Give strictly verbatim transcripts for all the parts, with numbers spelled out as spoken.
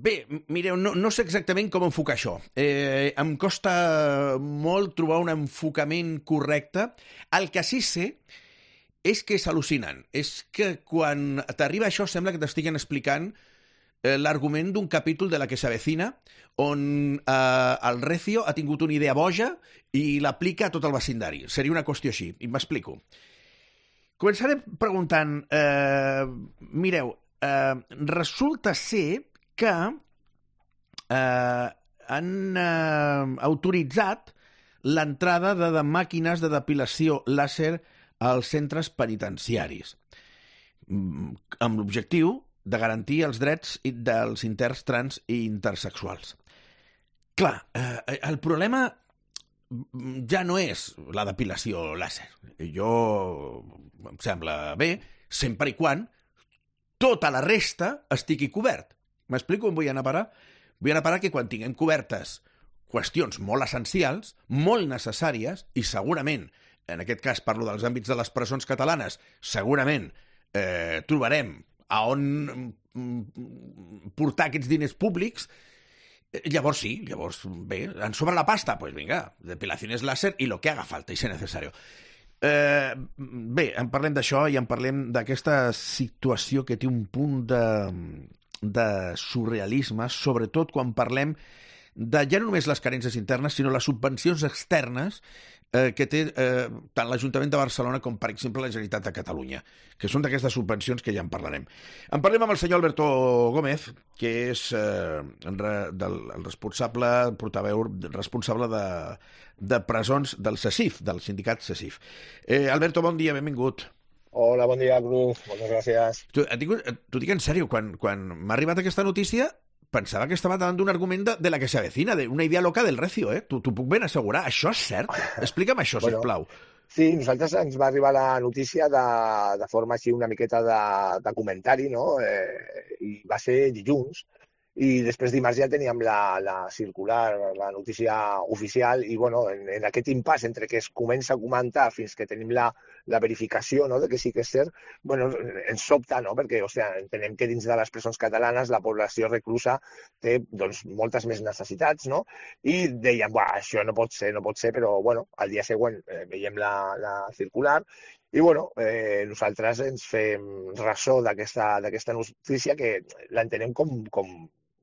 Bé, mireu, no, no sé exactament com enfocar això. Eh, em costa molt trobar un enfocament correcte. El que sí sé és que és al·lucinant. És que quan t'arriba això sembla que t'estiguen explicant eh, l'argument d'un capítol de La que s'avecina, on eh, el Recio ha tingut una idea boja i l'aplica a tot el vecindari. Seria una qüestió així, i m'explico. Començaré preguntant, eh, mireu, eh, resulta ser que eh, han eh, autoritzat l'entrada de, de màquines de depilació làser als centres penitenciaris, amb l'objectiu de garantir els drets dels interns trans i intersexuals. Clar, eh, el problema ja no és la depilació làser. Jo em sembla bé, sempre i quan tota la resta estigui cobert. M'explico on vull anar a parar? Vull anar a parar que quan tinguem cobertes qüestions molt essencials, molt necessàries, i segurament, en aquest cas parlo dels àmbits de les presons catalanes, segurament eh, trobarem a on portar aquests diners públics. Llavors sí, llavors, bé, en sobre la pasta, pues vinga, depilaciones láser i lo que haga falta i ser necesario. Eh, bé, en parlem d'això i en parlem d'aquesta situació que té un punt de, de surrealisme, sobretot quan parlem de ja no només les carències internes, sinó les subvencions externes eh, que té eh, tant l'Ajuntament de Barcelona com, per exemple, la Generalitat de Catalunya, que són d'aquestes subvencions que ja en parlarem. En parlem amb el senyor Alberto Gómez, que és eh, del, el responsable, portaveu responsable de, de presons del CECIF, del sindicat CECIF. Eh, Alberto, bon dia, benvingut. Hola, bon dia, Cruz. Moltes gràcies. T'ho dic en sèrio, quan, quan m'ha arribat aquesta notícia pensava que estava davant d'un argument de, de La que s'avecina, d'una idea loca del Recio, eh? T'ho puc ben assegurar. Això és cert? Explica'm això, bueno, sisplau. Sí, nosaltres ens va arribar la notícia de, de forma així una miqueta de, de comentari, no? Eh, I va ser dilluns. I després dimarts ja teníem la, la circular, la notícia oficial, i bueno, en, en aquest impàs entre que es comença a comentar fins que tenim la, la verificació, no?, de que sí que és cert, bueno, ens sobta, no?, perquè o sigui, entenem que dins de les presons catalanes la població reclusa té doncs, moltes més necessitats, no? I dèiem, buah, això no pot ser, no pot ser, però bueno, al dia següent eh, veiem la, la circular. I bueno, eh, nosaltres ens fem ressò d'aquesta d'aquesta notícia que l'entenem com, com,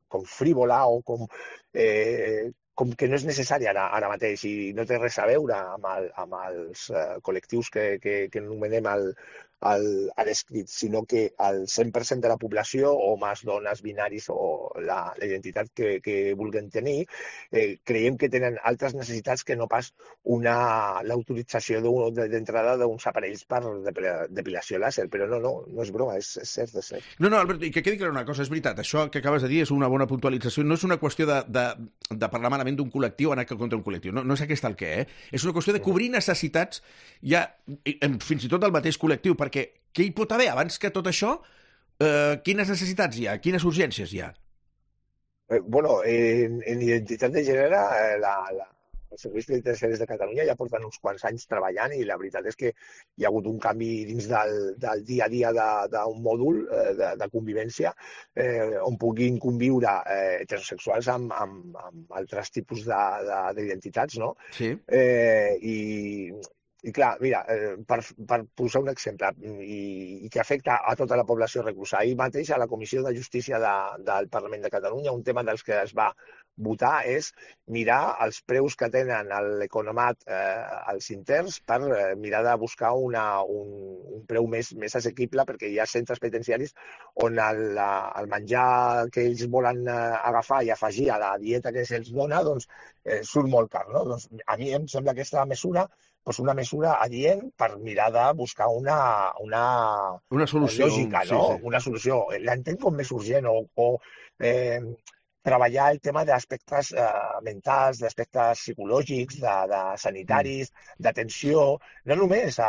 com frívola o com, eh, com que no és necessària ara, ara mateix i no té res a veure amb, el, amb els eh, col·lectius que, que, que anomenem el, el, a l'escrit, sinó que el cent per cent de la població, homes, dones, binaris o la, la identitat que, que vulguin tenir, eh, creiem que tenen altres necessitats que no pas una l'autorització d'entrada d'uns aparells per depilació làser. Però no, no, no és broma, és, és cert, és cert. No, no, Albert, i que quedi clara una cosa, és veritat, això que acabes de dir és una bona puntualització, no és una qüestió de, de, de parlar malament d'un col·lectiu o anar contra un col·lectiu, no, no és aquest el què, eh? És una qüestió de cobrir necessitats ja, fins i tot del mateix col·lectiu, perquè què hi pot haver abans que tot això? Eh, quines necessitats hi ha? Quines urgències hi ha? Eh, bueno, en, en identitat de gènere, eh, la, la, els serveis penitenciaris de Catalunya ja porten uns quants anys treballant i la veritat és que hi ha hagut un canvi dins del, del dia a dia d'un mòdul eh, de, de convivència eh, on puguin conviure eh, heterosexuals amb, amb, amb altres tipus d'identitats, no? Sí. Eh, i, I clar, mira, eh, per, per posar un exemple i, i que afecta a tota la població reclusa. Ahir mateix a la Comissió de Justícia de, del Parlament de Catalunya un tema dels que es va votar és mirar els preus que tenen l'economat eh, als interns per eh, mirar de buscar una, un, un preu més, més assequible perquè hi ha centres penitenciaris on el, el menjar que ells volen eh, agafar i afegir a la dieta que se'ls dona doncs, eh, surt molt car. No? Doncs, a mi em sembla que aquesta mesura doncs una mesura adient per mirar de buscar una, una, una solució, lògica, no? Sí, sí. Una solució. L'entenc com més urgent o, o eh, treballar el tema d'aspectes eh, mentals, d'aspectes psicològics, de, de sanitaris, mm. d'atenció, no només a,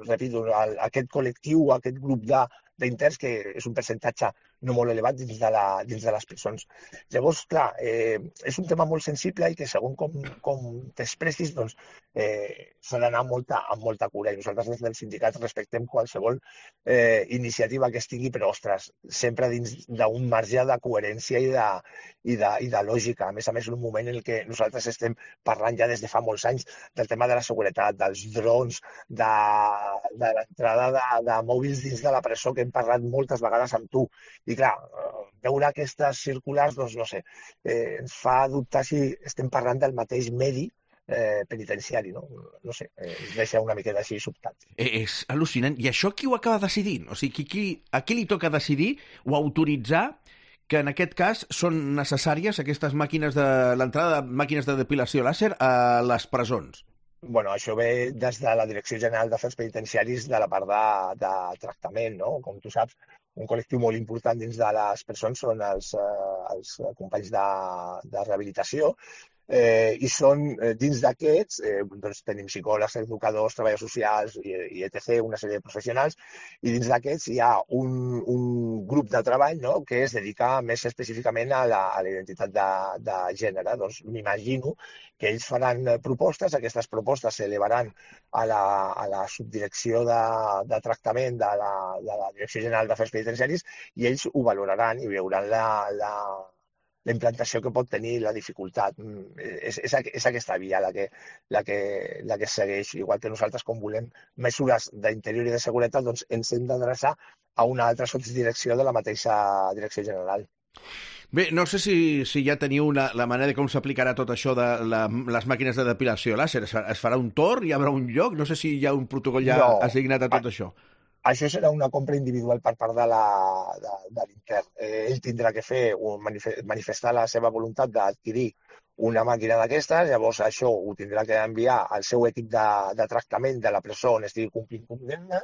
repito, a, a aquest col·lectiu, a aquest grup de d'interns, que és un percentatge no molt elevat dins de, la, dins de les presons. Llavors, clar, eh, és un tema molt sensible i que segons com, com t'expressis, doncs, eh, s'ha d'anar amb molta, amb molta cura. I nosaltres des del sindicat respectem qualsevol eh, iniciativa que estigui, però, ostres, sempre dins d'un marge de coherència i de, i, de, i de lògica. A més a més, en un moment en què nosaltres estem parlant ja des de fa molts anys del tema de la seguretat, dels drons, de, de l'entrada de, de mòbils dins de la presó, que hem parlat moltes vegades amb tu. I clar, veure aquestes circulars, doncs no sé, eh, ens fa dubtar si estem parlant del mateix medi eh, penitenciari, no? No sé, eh, ens deixa una miqueta així sobtat. És al·lucinant. I això qui ho acaba decidint? O sigui, qui, qui, a qui li toca decidir o autoritzar que en aquest cas són necessàries aquestes màquines de l'entrada de màquines de depilació làser a les presons? Bueno, això ve des de la Direcció General d'Afers Penitenciaris de la part de, de tractament, no? Com tu saps, un col·lectiu molt important dins de les presons són els, eh, els companys de, de rehabilitació, eh, i són eh, dins d'aquests, eh, doncs tenim psicòlegs, educadors, treballadors socials i, i et cetera, una sèrie de professionals, i dins d'aquests hi ha un, un grup de treball, no?, que es dedica més específicament a la, a la identitat de, de gènere. Doncs m'imagino que ells faran propostes, aquestes propostes s'elevaran a la, a la subdirecció de, de tractament de la, de la Direcció General d'Afers Penitenciaris i ells ho valoraran i veuran la, la, la implantació que pot tenir, la dificultat. És, és, és aquesta via la que, la, que, la que segueix. Igual que nosaltres, com volem mesures d'interior i de seguretat, doncs ens hem d'adreçar a una altra subdirecció de la mateixa Direcció General. Bé, no sé si, si ja teniu una, la manera de com s'aplicarà tot això de la, les màquines de depilació làser. Es, es farà un torn? Hi haurà un lloc? No sé si hi ha un protocol ja no, assignat a tot a, això. Això serà una compra individual per part de la, de, de l'intern. Eh, ell tindrà que fer un, manifestar la seva voluntat d'adquirir una màquina d'aquestes, llavors això ho tindrà que enviar al seu equip de, de tractament de la presó on estigui complint condemna,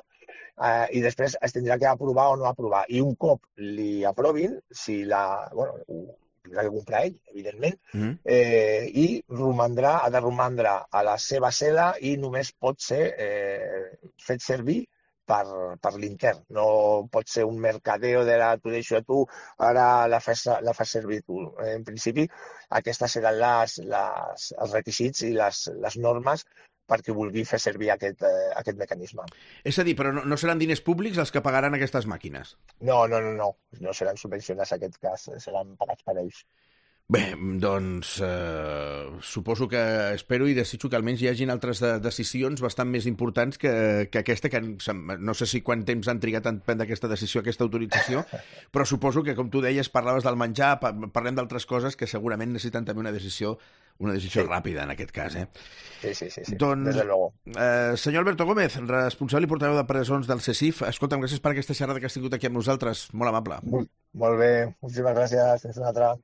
eh, i després es tindrà que aprovar o no aprovar. I un cop li aprovin, si la, bueno, ho tindrà que comprar ell, evidentment, mm. eh, i romandrà, ha de romandre a la seva cel·la i només pot ser eh, fet servir per, per l'intern. No pot ser un mercadeo de la t'ho deixo a tu, ara la fas, la fas servir tu. En principi, aquestes seran les, les, els requisits i les, les normes perquè vulgui fer servir aquest, eh, aquest mecanisme. És a dir, però no, no seran diners públics els que pagaran aquestes màquines? No, no, no, no. No seran subvencionats en aquest cas, seran pagats per ells. Bé, doncs eh, suposo que espero i desitjo que almenys hi hagin altres de, decisions bastant més importants que, que aquesta, que no sé si quant temps han trigat en prendre aquesta decisió, aquesta autorització, però suposo que, com tu deies, parlaves del menjar, parlem d'altres coses que segurament necessiten també una decisió, una decisió sí. ràpida, en aquest cas. Eh? Sí, sí, sí, sí. Doncs, desde luego. Eh, senyor Alberto Gómez, responsable i portaveu de presons del C E C I F, escolta'm, gràcies per aquesta xerrada que has tingut aquí amb nosaltres, molt amable. Molt, molt bé, moltíssimes gràcies, fins una altra.